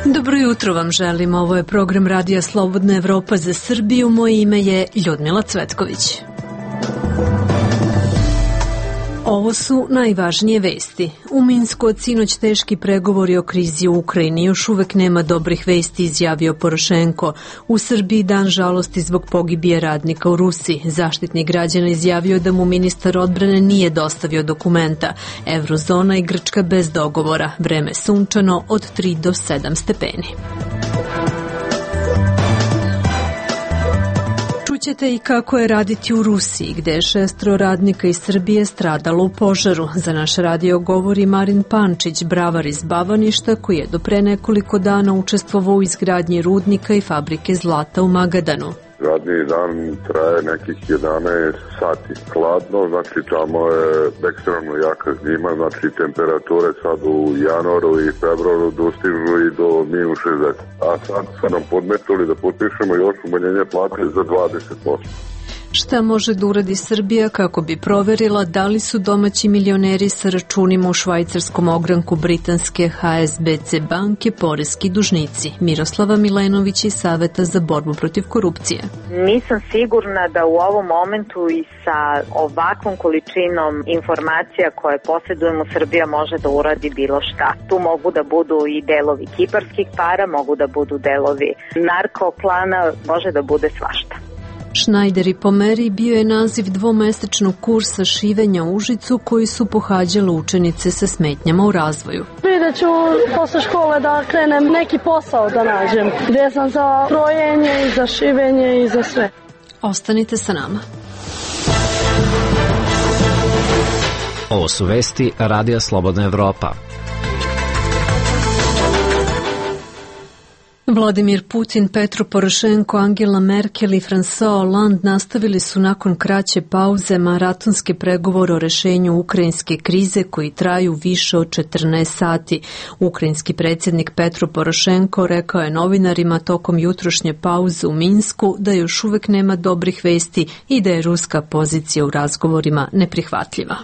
Dobro jutro vam želim, ovo je program Radija Slobodna Evropa za Srbiju, moje ime je Ljudmila Cvetković. Ovo su najvažnije vesti. U Minsku od sinoć teški pregovori o krizi u Ukrajini. Još uvek nema dobrih vesti, izjavio Porošenko. U Srbiji dan žalosti zbog pogibije radnika u Rusiji. Zaštitnik građana izjavio da mu ministar odbrane nije dostavio dokumenta. Evrozona i Grčka bez dogovora. Vreme sunčano od 3 do 7 stepeni. Čućete i kako je raditi u Rusiji, gde je 6 radnika iz Srbije stradalo u požaru. Za naš radio govori Marin Pančić, bravar iz Bavaništa, koji je do pre nekoliko dana učestvovao u izgradnji rudnika i fabrike zlata u Magadanu. Radni dan traje nekih 11 sati. Hladno, znači tamo je ekstremno jaka zima, znači temperature sad u januaru i februaru dostižu i do -60. A sad su nam podmetili da potpišemo još umanjenje plate za 20%. Šta može da uradi Srbija kako bi proverila da li su domaći milioneri sa računima u švajcarskom ogranku britanske HSBC banke poreski dužnici? Miroslava Milenović iz Saveta za borbu protiv korupcije. Nisam sigurna da u ovom momentu i sa ovakvom količinom informacija koje posjedujemo Srbija može da uradi bilo šta. Tu mogu da budu i delovi kiparskih para, mogu da budu delovi narkoklana, može da bude svašta. Šnajder i pomeri bio je naziv dvomesečnog kursa šivenja u Užicu koji su pohađale učenice sa smetnjama u razvoju. Vidjet ću posle škole da krenem neki posao da nađem, gdje sam za krojenje i za šivenje i za sve. Ostanite sa nama. Ovo su vesti Radija Slobodna Evropa. Vladimir Putin, Petro Porošenko, Angela Merkel i François Hollande nastavili su nakon kraće pauze maratonske pregovore o rešenju ukrajinske krize koji traju više od 14 sati. Ukrajinski predsjednik Petro Porošenko rekao je novinarima tokom jutrošnje pauze u Minsku da još uvek nema dobrih vesti i da je ruska pozicija u razgovorima neprihvatljiva.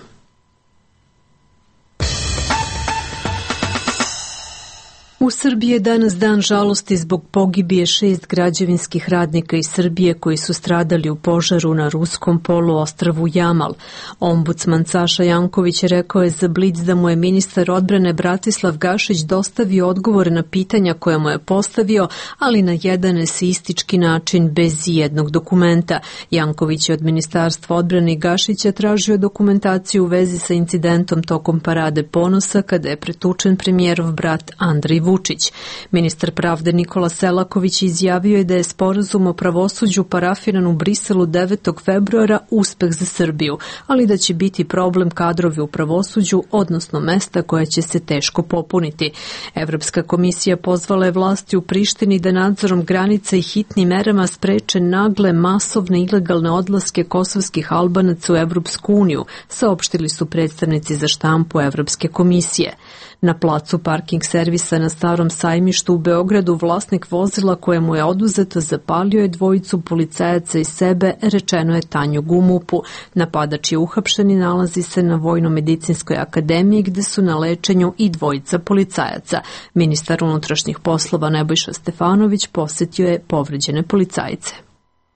U Srbiji je danas dan žalosti zbog pogibije 6 građevinskih radnika iz Srbije koji su stradali u požaru na ruskom poluostrvu Jamal. Ombudsman Saša Janković rekao je za Blic da mu je ministar odbrane Bratislav Gašić dostavio odgovore na pitanja koja mu je postavio, ali na jedan eseistički način bez jednog dokumenta. Janković je od Ministarstva odbrane i Gašića tražio dokumentaciju u vezi sa incidentom tokom Parade ponosa kada je pretučen premijerov brat Andrej Vučić. Ministar pravde Nikola Selaković izjavio je da je sporazum o pravosuđu parafiran u Briselu 9. februara uspeh za Srbiju, ali da će biti problem kadrovi u pravosuđu, odnosno mesta koja će se teško popuniti. Evropska komisija pozvala je vlasti u Prištini da nadzorom granica i hitnim merama spreče nagle, masovne, ilegalne odlaske kosovskih Albanaca u Evropsku uniju, saopštili su predstavnici za štampu Evropske komisije. Na placu parking servisa na Starom sajmištu u Beogradu vlasnik vozila kojemu je oduzeto zapalio je dvojicu policajaca iz sebe, rečeno je Tanjug u MUP-u. Napadač je uhapšen i nalazi se na Vojno-medicinskoj akademiji gde su na lečenju i dvojica policajaca. Ministar unutrašnjih poslova Nebojša Stefanović posetio je povređene policajce.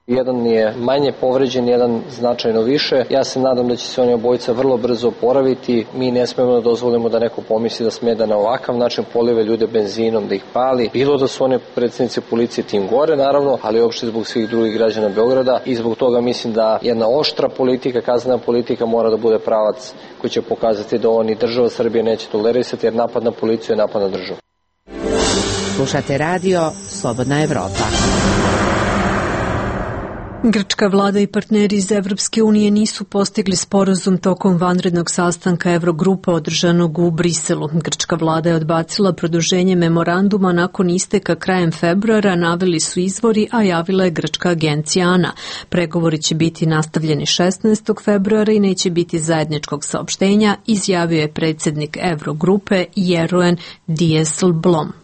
Jedan je manje povređen, jedan značajno više. Ja se nadam da će se oni obojica vrlo brzo oporaviti. Mi ne smemo da dozvolimo da neko pomisli da sme da na ovakav način polive ljude benzinom, da ih pali. Bilo da su one predsjednice policije tim gore, naravno, ali uopšte zbog svih drugih građana Beograda. I zbog toga mislim da jedna oštra politika, kaznena politika mora da bude pravac koji će pokazati da oni država Srbije neće tolerisati, jer napad na policiju je napad na državu. Slušate radio Slobodna Evropa. Grčka vlada i partneri iz Evropske unije nisu postigli sporazum tokom vanrednog sastanka Evrogrupa održanog u Briselu. Grčka vlada je odbacila produženje memoranduma nakon isteka krajem februara, naveli su izvori, a javila je grčka agencija ANA. Pregovori će biti nastavljeni 16. februara i neće biti zajedničkog saopštenja, izjavio je predsjednik Evrogrupe Jeroen Dijsselbloem.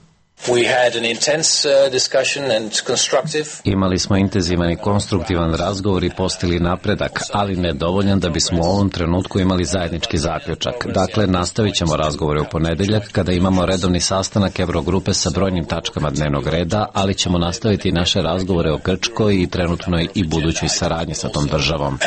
Imali smo intenzivan i konstruktivan razgovor i postigli napredak, ali nedovoljan da bismo u ovom trenutku imali zajednički zaključak. Dakle, nastavit ćemo razgovore u ponedeljak kada imamo redovni sastanak Evrogrupe sa brojnim tačkama dnevnog reda, ali ćemo nastaviti naše razgovore o Grčkoj i trenutnoj i budućoj saradnji sa tom državom.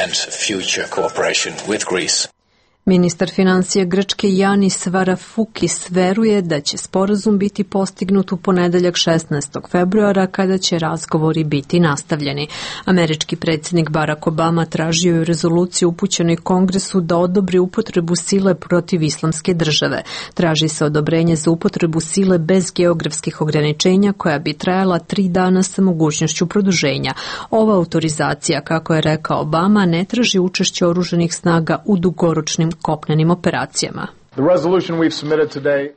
Ministar financija Grčke Yanis Varoufakis veruje da će sporazum biti postignut u ponedeljak 16. februara kada će razgovori biti nastavljeni. Američki predsjednik Barack Obama tražio je rezoluciju upućenoj Kongresu da odobri upotrebu sile protiv islamske države. Traži se odobrenje za upotrebu sile bez geografskih ograničenja koja bi trajala 3 dana sa mogućnošću produženja. Ova autorizacija, kako je rekao Obama, ne traži učešće oružanih snaga u dugoročnim kopnenim operacijama.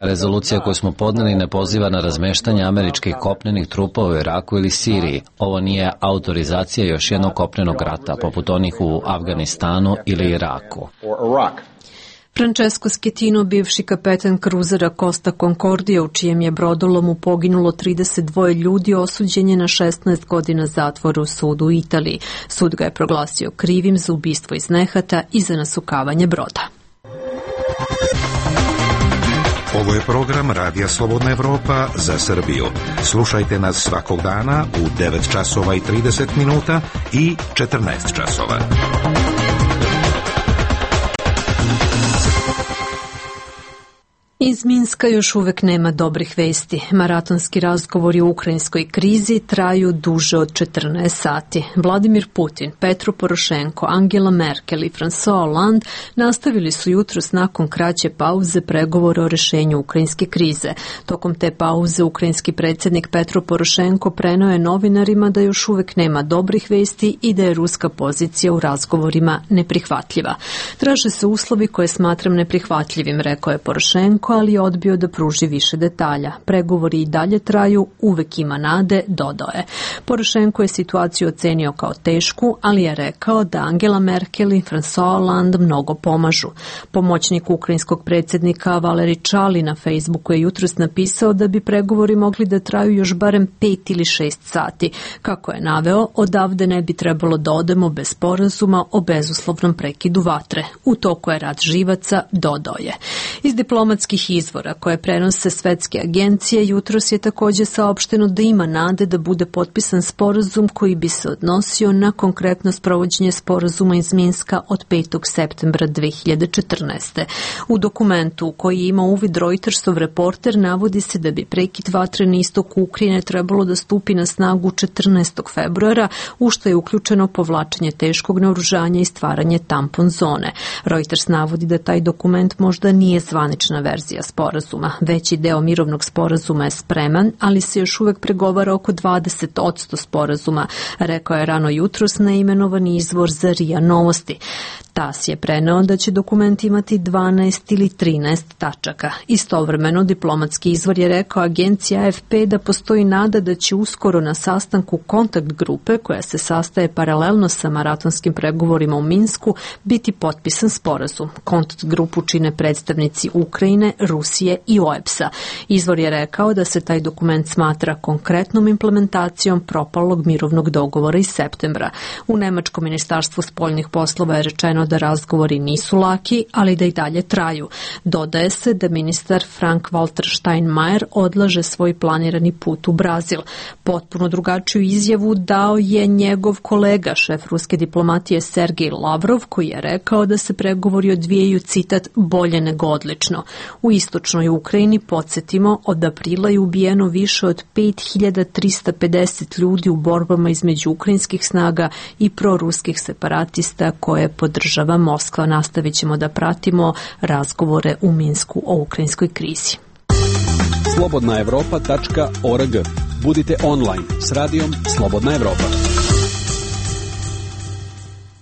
Rezolucija koju smo podneli ne poziva na razmeštanje američkih kopnenih trupova u Iraku ili Siriji. Ovo nije autorizacija još jednog kopnenog rata, poput onih u Afganistanu ili Iraku. Francesco Schettino, bivši kapetan kruzera Costa Concordia, u čijem je brodolomu poginulo 32 ljudi, osuđen je na 16 godina zatvora u sudu u Italiji. Sud ga je proglasio krivim za ubistvo iz nehata i za nasukavanje broda. Ovo je program Radija Slobodna Evropa za Srbiju. Slušajte nas svakog dana u 9 časova i 30 minuta i 14 časova. Iz Minska još uvek nema dobrih vesti. Maratonski razgovori o ukrajinskoj krizi traju duže od 14 sati. Vladimir Putin, Petro Porošenko, Angela Merkel i François Hollande nastavili su jutros nakon kraće pauze pregovore o rešenju ukrajinske krize. Tokom te pauze ukrajinski predsjednik Petro Porošenko preneo je novinarima da još uvek nema dobrih vesti i da je ruska pozicija u razgovorima neprihvatljiva. Traže se uslovi koje smatram neprihvatljivim, rekao je Porošenko, ali je odbio da pruži više detalja. Pregovori i dalje traju, uvek ima nade, dodao je. Porošenko je situaciju ocenio kao tešku, ali je rekao da Angela Merkel i François Hollande mnogo pomažu. Pomoćnik ukrajinskog predsjednika Valeri Čali na Facebooku je jutros napisao da bi pregovori mogli da traju još barem 5 ili 6 sati. Kako je naveo, odavde ne bi trebalo da odemo bez sporazuma o bezuslovnom prekidu vatre. U toku je rat živaca, dodao je. Iz diplomatskih izvora koje prenose svetske agencije jutros je također saopšteno da ima nade da bude potpisan sporazum koji bi se odnosio na konkretno sprovođenje sporazuma iz Minska od 5. septembra 2014. U dokumentu u koji ima uvid Reutersov reporter navodi se da bi prekid vatre na istoku Ukrajine trebalo da stupi na snagu 14. februara, u što je uključeno povlačenje teškog naoružanja i stvaranje tampon zone. Reuters navodi da taj dokument možda nije zvanična verzija sporazuma. Veći deo mirovnog sporazuma je spreman, ali se još uvek pregovara oko 20% sporazuma, rekao je rano jutros neimenovani izvor za RIA Novosti. TAS je preneo da će dokument imati 12 ili 13 tačaka. Istovremeno, diplomatski izvor je rekao agenciji AFP da postoji nada da će uskoro na sastanku kontakt grupe, koja se sastaje paralelno sa maratonskim pregovorima u Minsku, biti potpisan sporazum. Kontakt grupu čine predstavnici Ukrajine, Rusije i OEBS-a. Izvor je rekao da se taj dokument smatra konkretnom implementacijom propalog mirovnog dogovora iz septembra. U Nemačkom ministarstvu spoljnih poslova je rečeno da razgovori nisu laki, ali da i dalje traju. Dodaje se da ministar Frank-Walter Steinmeier odlaže svoj planirani put u Brazil. Potpuno drugačiju izjavu dao je njegov kolega, šef ruske diplomatije Sergej Lavrov, koji je rekao da se pregovori odvijaju, citat, bolje nego odlično. U istočnoj Ukrajini, podsjetimo, od aprila je ubijeno više od 5350 ljudi u borbama između ukrajinskih snaga i proruskih separatista koje podržava Moskva. Nastavit ćemo da pratimo razgovore u Minsku o ukrajinskoj krizi. slobodnaevropa.org. Budite online s radijom Slobodna Evropa.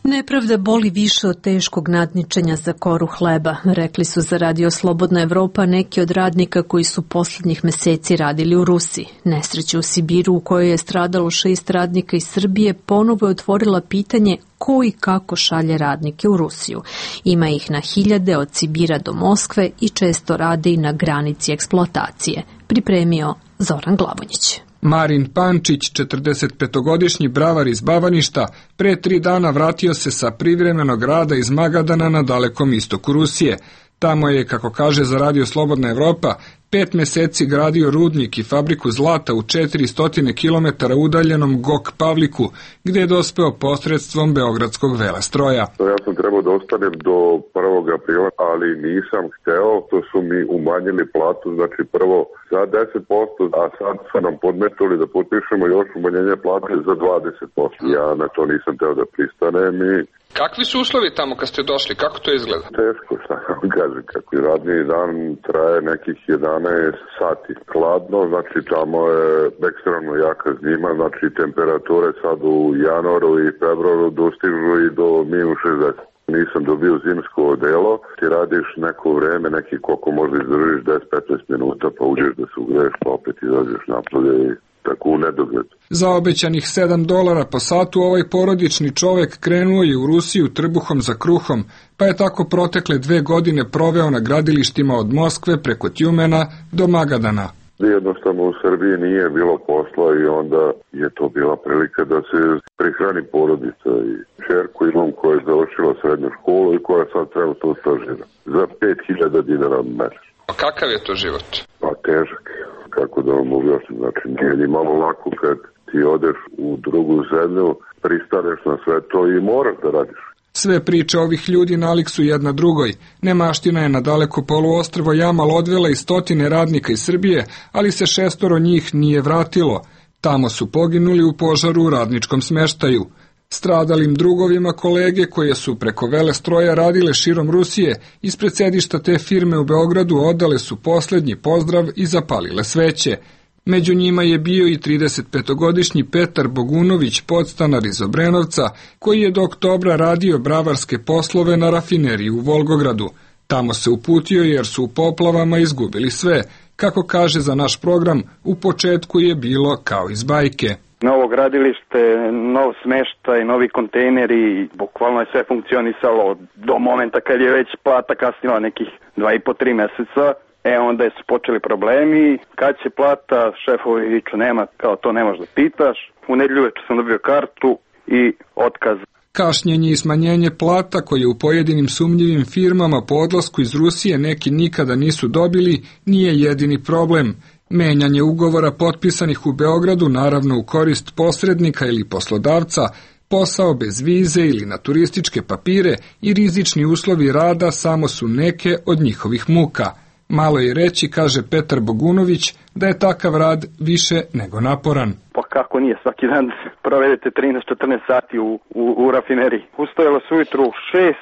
Nepravda boli više od teškog nadničenja za koru hleba, rekli su za Radio Slobodna Evropa neki od radnika koji su posljednjih meseci radili u Rusiji. Nesreća u Sibiru, u kojoj je stradalo 6 radnika iz Srbije, ponovo je otvorila pitanje ko i kako šalje radnike u Rusiju. Ima ih na hiljade od Sibira do Moskve i često rade i na granici eksploatacije. Pripremio Zoran Glavonjić. Marin Pančić, 45-godišnji bravar iz Bavaništa, pre 3 dana vratio se sa privremenog rada iz Magadana na dalekom istoku Rusije. Tamo je, kako kaže za Radio Slobodna Evropa, 5 meseci gradio rudnik i fabriku zlata u 400 km udaljenom Gok Pavliku, gde je dospeo posredstvom Beogradskog velestroja. Ja sam trebao da ostanem do 1. aprila, ali nisam hteo, to su mi umanjili platu, znači prvo za 10%, a sad su nam podmetuli da potpišemo još umanjenje plate za 20%. Ja na to nisam teo da pristanem i... Kakvi su uslovi tamo kad ste došli? Kako to izgleda? Teško, šta vam kažem, kako radni dan traje nekih 11 sati. Hladno, znači tamo je ekstremno jaka zima, znači temperature sad u januaru i februaru dostižu i do -60. Nisam dobio zimsko odelo, ti radiš neko vreme, neki koliko možda izdržiš 10-15 minuta, pa uđeš da se ugreješ, pa opet izađeš napolje i tako u nedogled. Za obećanih $7 po satu ovaj porodični čovek krenuo je u Rusiju trbuhom za kruhom, pa je tako protekle 2 godine proveo na gradilištima od Moskve preko Tjumena do Magadana. Jednostavno u Srbiji nije bilo posla i onda je to bila prilika da se prihrani porodica i čerku imam koja je završila srednju školu i koja sad trenutno stažira za 5.000 dinara mesečno. A kakav je to život? Pa težak, kako da vam objasnim, znači nije ni malo lako kad ti odeš u drugu zemlju, pristaneš na sve to i moraš da radiš. Sve priče ovih ljudi nalik su jedna drugoj. Nemaština je na daleko poluostrvo Jamal odvela i 100 radnika iz Srbije, ali se 6 njih nije vratilo. Tamo su poginuli u požaru u radničkom smeštaju. Stradalim drugovima kolege koje su preko velestroja radile širom Rusije, ispred sedišta te firme u Beogradu odale su poslednji pozdrav i zapalile sveće. Među njima je bio i 35-godišnji Petar Bogunović, podstanar iz Obrenovca, koji je do oktobra radio bravarske poslove na rafineriji u Volgogradu. Tamo se uputio jer su u poplavama izgubili sve. Kako kaže za naš program, u početku je bilo kao iz bajke. Novo gradilište, nov smeštaj, novi kontejneri, bukvalno je sve funkcionisalo do momenta kad je već plata kasnila nekih 2,5-3 meseca. Onda su počeli problemi, kad će plata, šefovi viču nema, kao to ne možeš da pitaš. U nedelju večer sam dobio kartu i otkaz. Kašnjenje i smanjenje plata koje u pojedinim sumnjivim firmama po odlasku iz Rusije neki nikada nisu dobili, nije jedini problem. Menjanje ugovora potpisanih u Beogradu, naravno u korist posrednika ili poslodavca, posao bez vize ili na turističke papire i rizični uslovi rada samo su neke od njihovih muka. Malo je reći, kaže Petar Bogunović, da je takav rad više nego naporan. Pa kako nije, svaki dan provedete 13-14 sati u rafineriji. Ustajalo se ujutru u 6,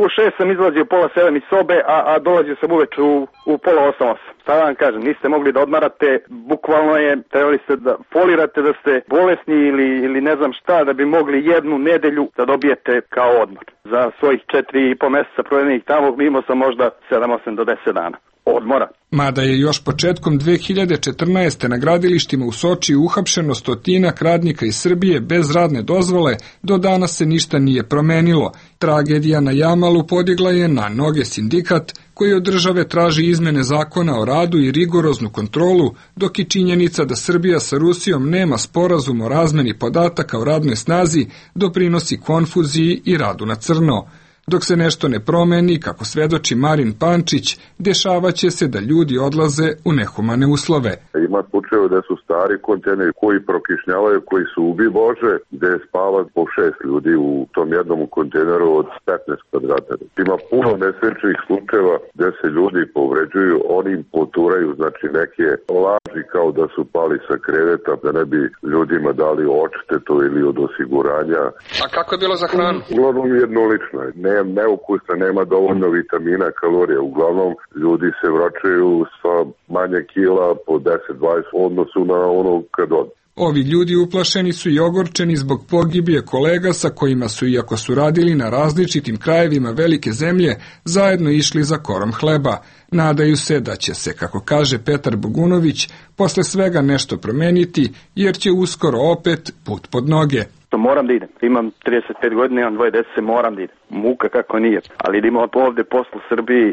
u 6 sam izlazio 6:30 iz sobe, a dolazio sam uveč u 7:30. Šta vam kažem, niste mogli da odmarate, bukvalno je, trebali ste da folirate da ste bolesni ili ne znam šta, da bi mogli 1 nedelju da dobijete kao odmor. Za svojih 4,5 meseca provedenih tamo imao sam možda 7-8 do 10 dana odmora. Mada je još početkom 2014. na gradilištima u Sočiju uhapšeno 100 radnika iz Srbije bez radne dozvole, do danas se ništa nije promenilo. Tragedija na Jamalu podigla je na noge sindikat koji od države traži izmene zakona o radu i rigoroznu kontrolu, dok i činjenica da Srbija sa Rusijom nema sporazum o razmeni podataka o radnoj snazi doprinosi konfuziji i radu na crno. Dok se nešto ne promeni, kako svedoči Marin Pančić, dešavaće se da ljudi odlaze u nehumane uslove. Ima slučajeva da su stari kontejneri koji prokišnjavaju, koji su ubi Bože, gde spava po 6 ljudi u tom jednom kontejneru od 15 kvadrata. Ima puno nesrećnih slučajeva gde se ljudi povređuju, oni im poturaju, znači neke laži kao da su pali sa kreveta, da ne bi ljudima dali odštetu ili od osiguranja. A kako je bilo za hranu? Uglavnom jednolično je. Neukusna, nema dovoljno vitamina, kalorija. Uglavnom, ljudi se vraćaju sa manje kila po 10-20 odnosu na ono kad od. Ovi ljudi uplašeni su i ogorčeni zbog pogibije kolega sa kojima su, iako su radili na različitim krajevima velike zemlje, zajedno išli za korom hleba. Nadaju se da će se, kako kaže Petar Bogunović, posle svega nešto promeniti, jer će uskoro opet put pod noge. što moram da idem. Imam 35 godina, imam 2 dece, moram da idem. Muka kako nije. Ali da imam ovde poslu u Srbiji,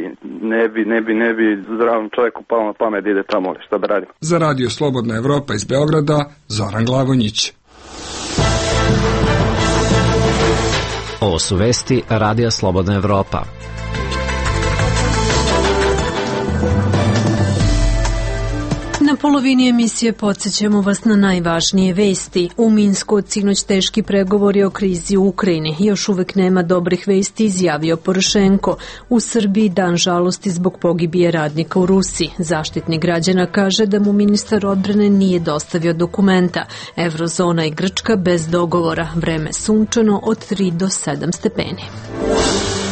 ne bi zdravom čovjeku palo na pamet da ide tamo, šta da radim. Za Radio Slobodna Evropa iz Beograda, Zoran Glavonjić. Ovo su vesti Radija Slobodna Evropa. Na polovini emisije podsjećamo vas na najvažnije vesti. U Minsku od sinoć teški pregovori o krizi u Ukrajini. Još uvek nema dobrih vesti, izjavio Porošenko. U Srbiji dan žalosti zbog pogibije radnika u Rusiji. Zaštitnik građana kaže da mu ministar odbrane nije dostavio dokumenta. Evrozona i Grčka bez dogovora. Vreme sunčano od 3 do 7 stepeni.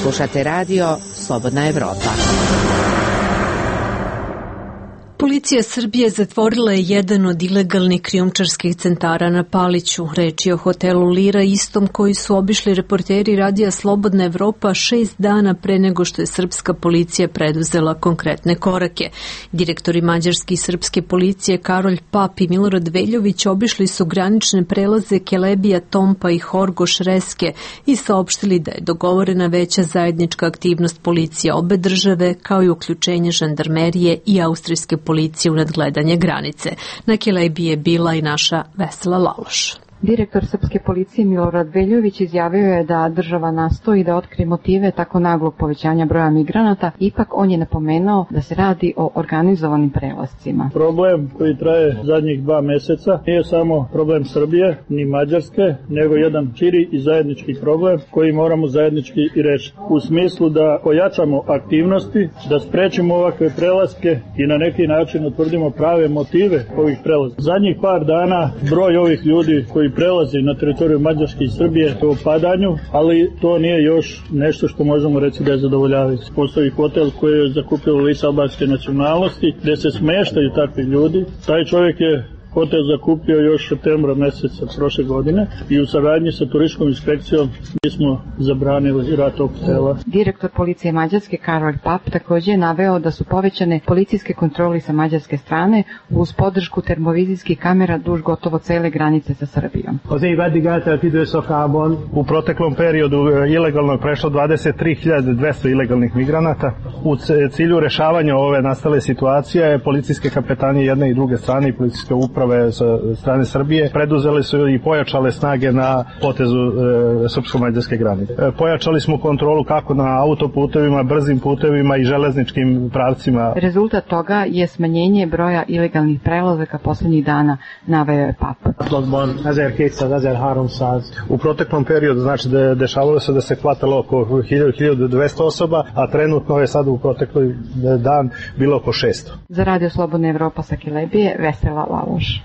Slušate radio Slobodna Evropa. Policija Srbije zatvorila je jedan od ilegalnih krijumčarskih centara na Paliću. Reč je o hotelu Lira, istom koji su obišli reporteri Radija Slobodna Evropa 6 dana pre nego što je srpska policija preduzela konkretne korake. Direktori mađarske i srpske policije Karolj Pap i Milorad Veljović obišli su granične prelaze Kelebija, Tompa i Horgoš Reske i saopštili da je dogovorena veća zajednička aktivnost policije obe države, kao i uključenje žandarmerije i austrijske policije u nadgledanje granice. Na Kelebiji je bila i naša Vesela Laloš. Direktor srpske policije Milorad Veljović izjavio je da država nastoji da otkrije motive tako naglog povećanja broja migranata, ipak on je napomenuo da se radi o organizovanim prelascima. Problem koji traje zadnjih 2 meseca nije samo problem Srbije ni Mađarske, nego jedan širi i zajednički problem koji moramo zajednički i rešiti. U smislu da pojačamo aktivnosti, da sprečimo ovakve prelaske i na neki način utvrdimo prave motive ovih prelaska. Zadnjih par dana broj ovih ljudi koji prelazi na teritoriju Mađarske i Srbije u opadanju, ali to nije još nešto što možemo reći da je zadovoljavajuće. Postoji hotel koji je zakupio lice albanske nacionalnosti, gde se smeštaju takvi ljudi. Taj čovjek je hotel zakupio još septembra meseca prošle godine i u saradnji sa turističkom inspekcijom mi smo zabranili rad tog hotela. Direktor policije Mađarske Karolj Pap također je naveo da su povećane policijske kontrole sa mađarske strane uz podršku termovizijskih kamera duž gotovo cele granice sa Srbijom. U proteklom periodu ilegalno je prešlo 23.200 ilegalnih migranata. U cilju rešavanja ove nastale situacije policijske kapetanije jedne i druge strane i policijske uprave sa strane Srbije preduzeli su i pojačale snage na potezu srpsko-mađarske granice. Pojačali smo kontrolu kako na autoputevima, brzim putevima i železničkim pravcima. Rezultat toga je smanjenje broja ilegalnih prelazaka poslednjih dana, naveo je Pap. U proteklom periodu znači da dešavalo se da se hvatalo oko 1200 osoba, a trenutno je sad u protekloj dan bilo oko 600. Za Radio Slobodna Evropa sa Kelebije, Vesela Laloš.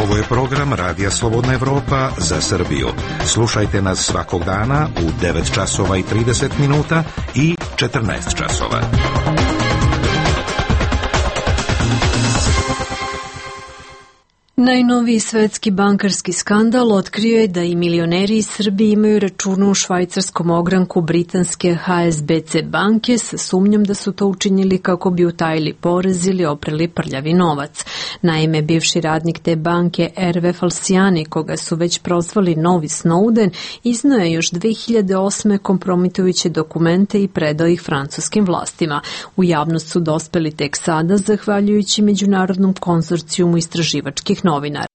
Ovo je program Radija Slobodna Evropa za Srbiju. Slušajte nas svakog dana u 9 časova i 30 minuta i 14 časova. Najnoviji svetski bankarski skandal otkrio je da i milioneri iz Srbije imaju račune u švajcarskom ogranku britanske HSBC banke sa sumnjom da su to učinili kako bi utajili porez ili oprali prljavi novac. Naime, bivši radnik te banke Erve Falciani, koga su već prozvali novi Snowden, izneo je još 2008. kompromitujuće dokumente i predao ih francuskim vlastima. U javnost su dospeli tek sada, zahvaljujući Međunarodnom konzorcijumu istraživačkih novinara.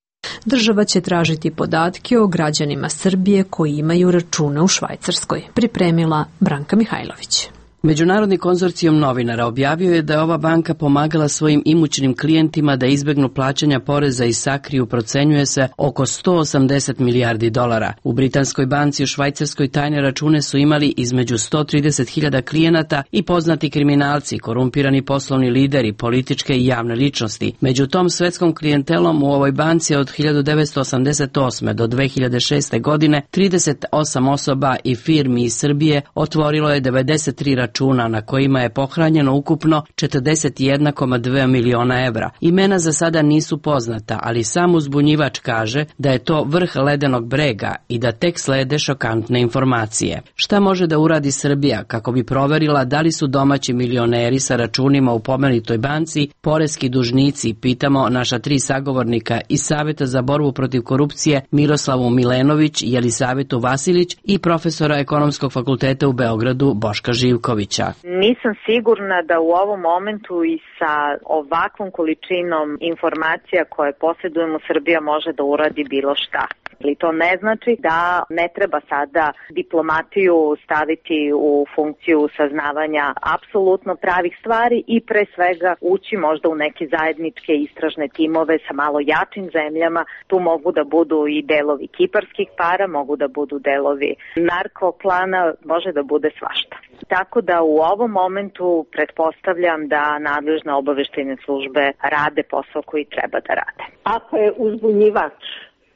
Država će tražiti podatke o građanima Srbije koji imaju račune u Švajcarskoj, pripremila Branka Mihajlović. Međunarodni konzorcijum novinara objavio je da je ova banka pomagala svojim imućnim klijentima da izbegnu plaćanja poreza i sakriju, procenjuje se, oko 180 milijardi dolara. U britanskoj banci u Švajcarskoj tajne račune su imali između 130.000 klijenata i poznati kriminalci, korumpirani poslovni lideri, političke i javne ličnosti. Među tom svetskom klijentelom u ovoj banci od 1988. do 2006. godine 38 osoba i firmi iz Srbije otvorilo je 93 računa računa na kojima je pohranjeno ukupno 41,2 miliona evra. Imena za sada nisu poznata, ali sam uzbunjivač kaže da je to vrh ledenog brega i da tek slede šokantne informacije. Šta može da uradi Srbija kako bi proverila da li su domaći milioneri sa računima u pomenutoj banci poreski dužnici, pitamo naša 3 sagovornika iz Saveta za borbu protiv korupcije Miroslavu Milenović, Jelisavetu Vasilić i profesora Ekonomskog fakulteta u Beogradu Boška Živkovića. Nisam sigurna da u ovom momentu i sa ovakvom količinom informacija koje posjedujemo Srbija može da uradi bilo šta. Ali to ne znači da ne treba sada diplomatiju staviti u funkciju saznavanja apsolutno pravih stvari i pre svega ući možda u neke zajedničke istražne timove sa malo jačim zemljama. Tu mogu da budu i delovi kiparskih para, mogu da budu delovi narkoklana, može da bude svašta. Tako da u ovom momentu pretpostavljam da nadležne obaveštajne službe rade posao koji treba da rade. Ako je uzbunjivač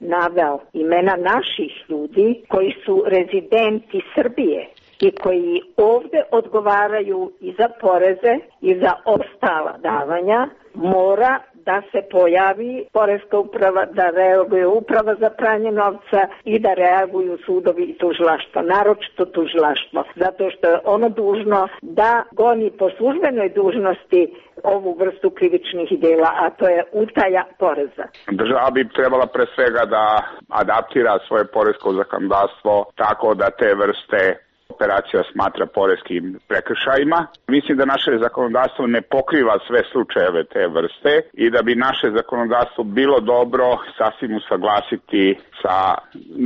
naveo imena naših ljudi koji su rezidenti Srbije i koji ovde odgovaraju i za poreze i za ostala davanja, mora da se pojavi poreska uprava, da reaguje uprava za pranje novca i da reaguju sudovi i tužilaštvo, naročito tužilaštvo, zato što je ono dužno da goni po službenoj dužnosti ovu vrstu krivičnih dela, a to je utaja poreza. Država bi trebala pre svega da adaptira svoje poresko zakonodavstvo tako da te vrste operacija smatra poreskim prekršajima. Mislim da naše zakonodavstvo ne pokriva sve slučajeve te vrste i da bi naše zakonodavstvo bilo dobro sasvim usaglasiti sa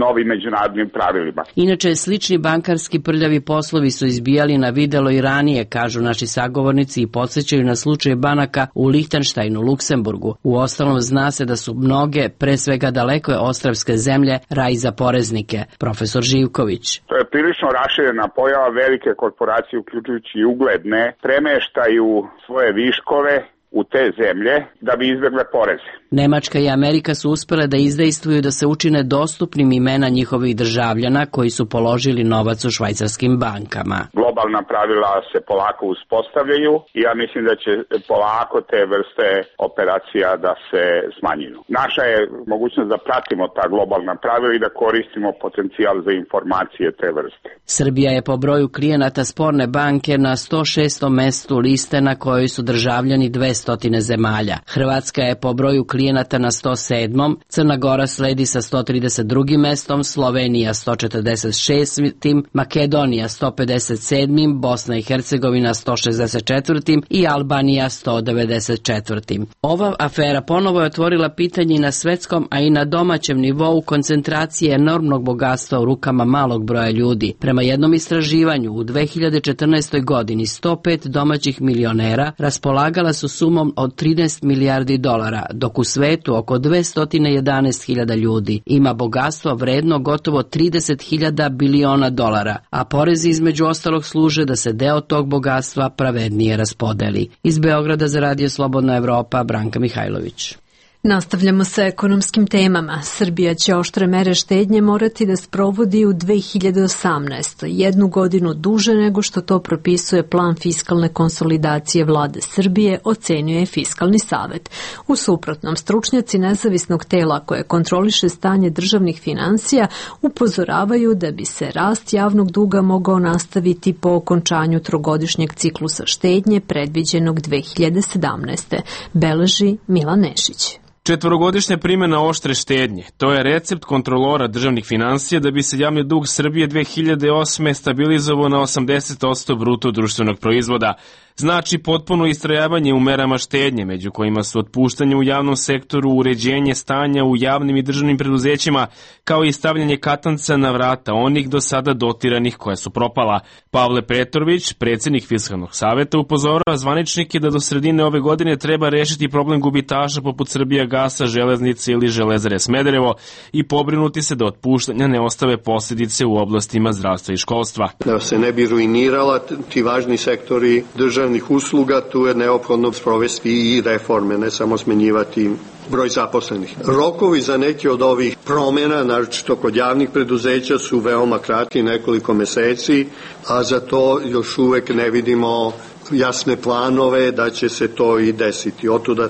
novim međunarodnim pravilima. Inače, slični bankarski prljavi poslovi su izbijali na videlo i ranije, kažu naši sagovornici i podsjećaju na slučaj banaka u Lihtenštajnu, Luksemburgu. Uostalom, zna se da su mnoge, pre svega daleko ostrvske zemlje, raj za poreznike. Profesor Živković. To je prilično raširena pojava, velike korporacije, uključujući i ugledne, premeštaju svoje viškove u te zemlje da bi izbjegle poreze. Nemačka i Amerika su uspele da izdejstvuju da se učine dostupnim imena njihovih državljana koji su položili novac u švajcarskim bankama. Globalna pravila se polako uspostavljaju i ja mislim da će polako te vrste operacija da se smanjuju. Naša je mogućnost da pratimo ta globalna pravila i da koristimo potencijal za informacije te vrste. Srbija je po broju klijenata sporne banke na 106. mestu liste na kojoj su državljani 200 zemalja. Hrvatska je po broju klijenata na 107. Crna Gora sledi sa 132. mestom, Slovenija 146. Makedonija 157. Bosna i Hercegovina 164. i Albanija 194. Ova afera ponovo je otvorila pitanje i na svetskom, a i na domaćem nivou koncentracije enormnog bogatstva u rukama malog broja ljudi. Prema jednom istraživanju, u 2014. godini 105 domaćih milionera raspolagala su sumom od 13 milijardi dolara, dok u svetu oko 211.000 ljudi ima bogatstvo vredno gotovo 30.000 biliona dolara, a porezi između ostalog služe da se deo tog bogatstva pravednije raspodeli. Iz Beograda za Radio Slobodna Evropa, Branka Mihajlović. Nastavljamo sa ekonomskim temama. Srbija će oštre mere štednje morati da sprovodi u 2018. 1 godinu duže nego što to propisuje plan fiskalne konsolidacije vlade Srbije, ocenjuje Fiskalni savet. U suprotnom, stručnjaci nezavisnog tela koje kontroliše stanje državnih finansija upozoravaju da bi se rast javnog duga mogao nastaviti po okončanju trogodišnjeg ciklusa štednje predviđenog 2017. Beleži Milan Nešić. Četvorogodišnja primjena oštre štednje, to je recept kontrolora državnih finansija da bi se javni dug Srbije 2008. stabilizovao na 80% bruto društvenog proizvoda. Znači potpuno istrajavanje u merama štednje, među kojima su otpuštanje u javnom sektoru, uređenje stanja u javnim i državnim preduzećima, kao i stavljanje katanca na vrata onih do sada dotiranih koja su propala. Pavle Petrović, predsjednik Fiskalnog saveta, upozorava zvaničnike da do sredine ove godine treba rešiti problem gubitaša poput Srbijagasa, Železnice ili Železare Smederevo i pobrinuti se da otpuštanja ne ostave posljedice u oblastima zdravstva i školstva. Da se ne bi ruinirala ti važni sektori državne državnih usluga, tu je neophodno sprovesti i reforme, ne samo smenjivati broj zaposlenih. Rokovi za neke od ovih promjena, naročito kod javnih preduzeća, su veoma kratki, nekoliko meseci, a za to još uvek ne vidimo jasne planove da će se to i desiti. Otuda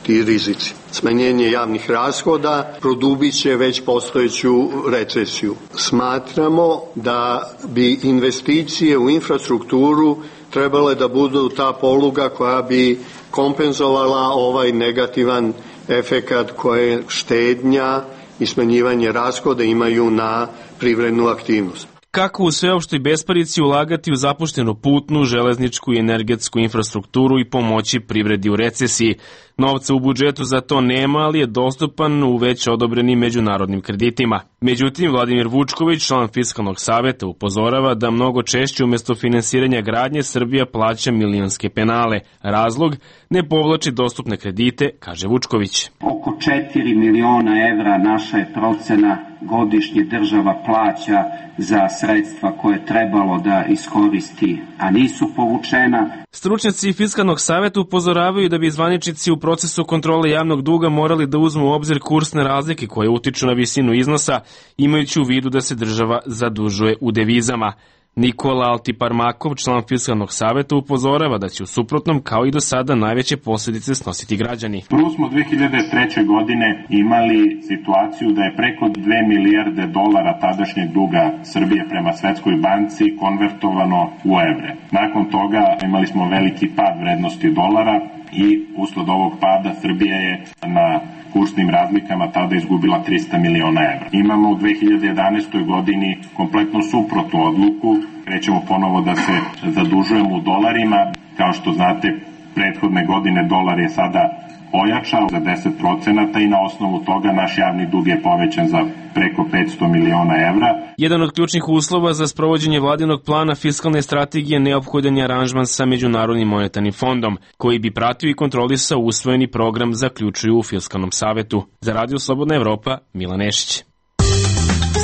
ti rizici. Smanjenje javnih rashoda produbit će već postojeću recesiju. Smatramo da bi investicije u infrastrukturu trebale da budu ta poluga koja bi kompenzovala ovaj negativan efekat koje štednja i smanjivanje rashoda imaju na privrednu aktivnost. Kako u sveopštoj besparici ulagati u zapuštenu putnu, železničku i energetsku infrastrukturu i pomoći privredi u recesiji. Novca u budžetu za to nema, ali je dostupan u već odobrenim međunarodnim kreditima. Međutim, Vladimir Vučković, član Fiskalnog saveta, upozorava da mnogo češće umjesto finansiranja gradnje Srbija plaća milionske penale. Razlog? Ne povlači dostupne kredite, kaže Vučković. Oko 4 miliona evra naša je procena godišnje država plaća za sredstva koje je trebalo da iskoristi, a nisu povučena. Stručnjaci Fiskalnog saveta upozoravaju da bi zvaničnici u procesu kontrole javnog duga morali da uzmu u obzir kursne razlike koje utiču na visinu iznosa, imajući u vidu da se država zadužuje u devizama. Nikola Altiparmakov, član Fiskalnog saveta, upozorava da će u suprotnom, kao i do sada, najveće posljedice snositi građani. Prvo smo 2003. godine imali situaciju da je preko 2 milijarde dolara tadašnjeg duga Srbije prema Svetskoj banci konvertovano u evre. Nakon toga imali smo veliki pad vrednosti dolara i usled ovog pada Srbija je na kursnim razlikama tada izgubila 300 miliona evra. Imamo u 2011. godini kompletno suprotnu odluku. Krećemo ponovo da se zadužujemo u dolarima. Kao što znate, prethodne godine dolar je sada ojačao za 10% i na osnovu toga naš javni dug je povećan za preko 500 miliona evra. Jedan od ključnih uslova za sprovođenje vladinog plana fiskalne strategije neophodan je aranžman sa Međunarodnim monetarnim fondom, koji bi pratio i kontrolisao usvojeni program, zaključuju u Fiskalnom savetu. Za Radio Slobodna Evropa, Milan Nešić.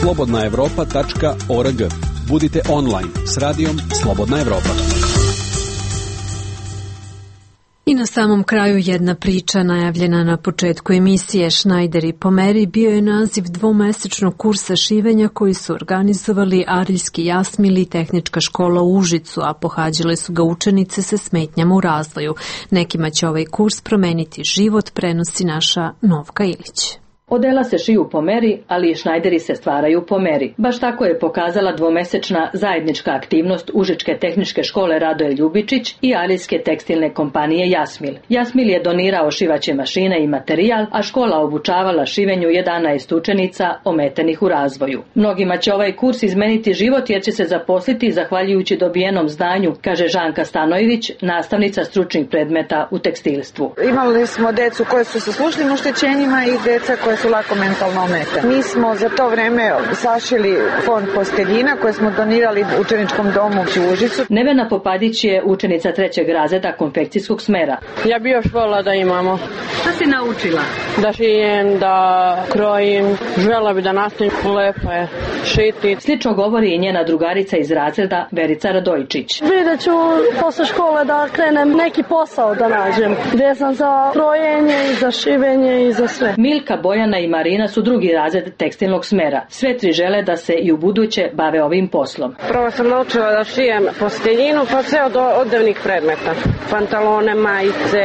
slobodnaevropa.org. Budite online s radijom Slobodna Evropa. I na samom kraju jedna priča najavljena na početku emisije. Schneider i pomeri bio je naziv dvomesečnog kursa šivenja koji su organizovali Ariljski Jasmil i Tehnička škola u Užicu, a pohađale su ga učenice sa smetnjama u razvoju. Nekima će ovaj kurs promeniti život, prenosi naša Novka Ilić. Odela se šiju po meri, ali i šnajderi se stvaraju po meri. Baš tako je pokazala dvomesečna zajednička aktivnost Užičke tehničke škole Radoje Ljubičić i Arijske tekstilne kompanije Jasmil. Jasmil je donirao šivaće mašine i materijal, a škola obučavala šivenju 11 učenica ometenih u razvoju. Mnogima će ovaj kurs izmeniti život jer će se zaposliti zahvaljujući dobijenom znanju, kaže Žanka Stanojević, nastavnica stručnih predmeta u tekstilstvu. Imali smo decu koje su sa slušnim oštećenjima i deca koje su lako mentalno ometane. Mi smo za to vreme sašili fond posteljina koje smo donirali učeničkom domu u Užicu. Nevena Popadić je učenica 3. razreda konfekcijskog smera. Ja bi još volila da imamo. Šta si naučila? Da šijem, da krojim, žela bi da nastavim, lepo je šiti. Slično govori i njena drugarica iz razreda Verica Radojčić. Vidjet ću posle škole da krenem neki posao da nađem, gdje sam za krojenje i za šivenje i za sve. Milka, Bojana i Marina su 2. razred tekstilnog smera. Sve 3 žele da se i u buduće bave ovim poslom. Prvo sam naučila da šijem posteljinu, pa sve od odevnih predmeta. Pantalone, majice,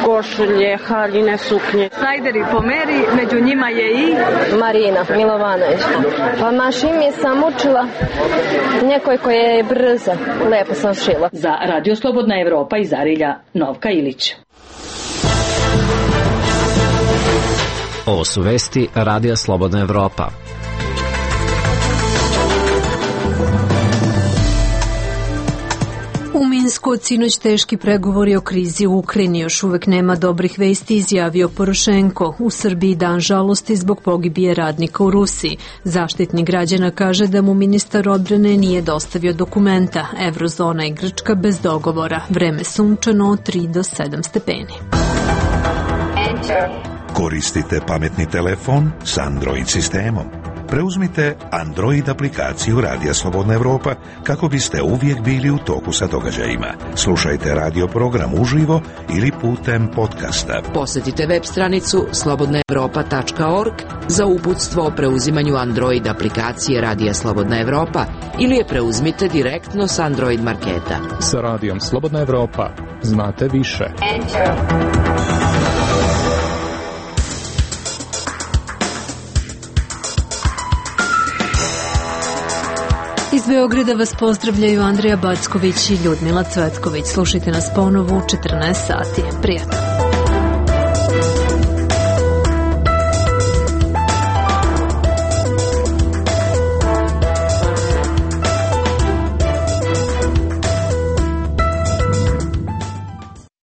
košulje, haljine, suknje. Snajderi po meri, među njima je i Marina Milovanović. Pa mašin sam učila nekoj koja je brza. Lepo sam šila. Za Radio Slobodna Evropa iz Arilja, Novka Ilić. Ovo su vesti Radija Slobodna Evropa. U Minsku od sinoć teški pregovori o krizi u Ukrajini. Još uvek nema dobrih vesti, izjavio Porošenko. U Srbiji dan žalosti zbog pogibije radnika u Rusiji. Zaštitnik građana kaže da mu ministar odbrane nije dostavio dokumenta. Evrozona i Grčka bez dogovora. Vreme sunčano od 3 do 7 stepeni. Koristite pametni telefon s Android sistemom. preuzmite Android aplikaciju Radija Slobodna Evropa kako biste uvijek bili u toku sa događajima. Slušajte radio program uživo ili putem podcasta. Posjetite web stranicu slobodnaevropa.org za uputstvo o preuzimanju Android aplikacije Radija Slobodna Evropa ili je preuzmite direktno s Android marketa. Sa Radijom Slobodna Evropa znate više. Iz Beograda vas pozdravljaju Andreja Backović i Ljudmila Cvetković. Slušajte nas ponovo u 14 sati. Prijatno.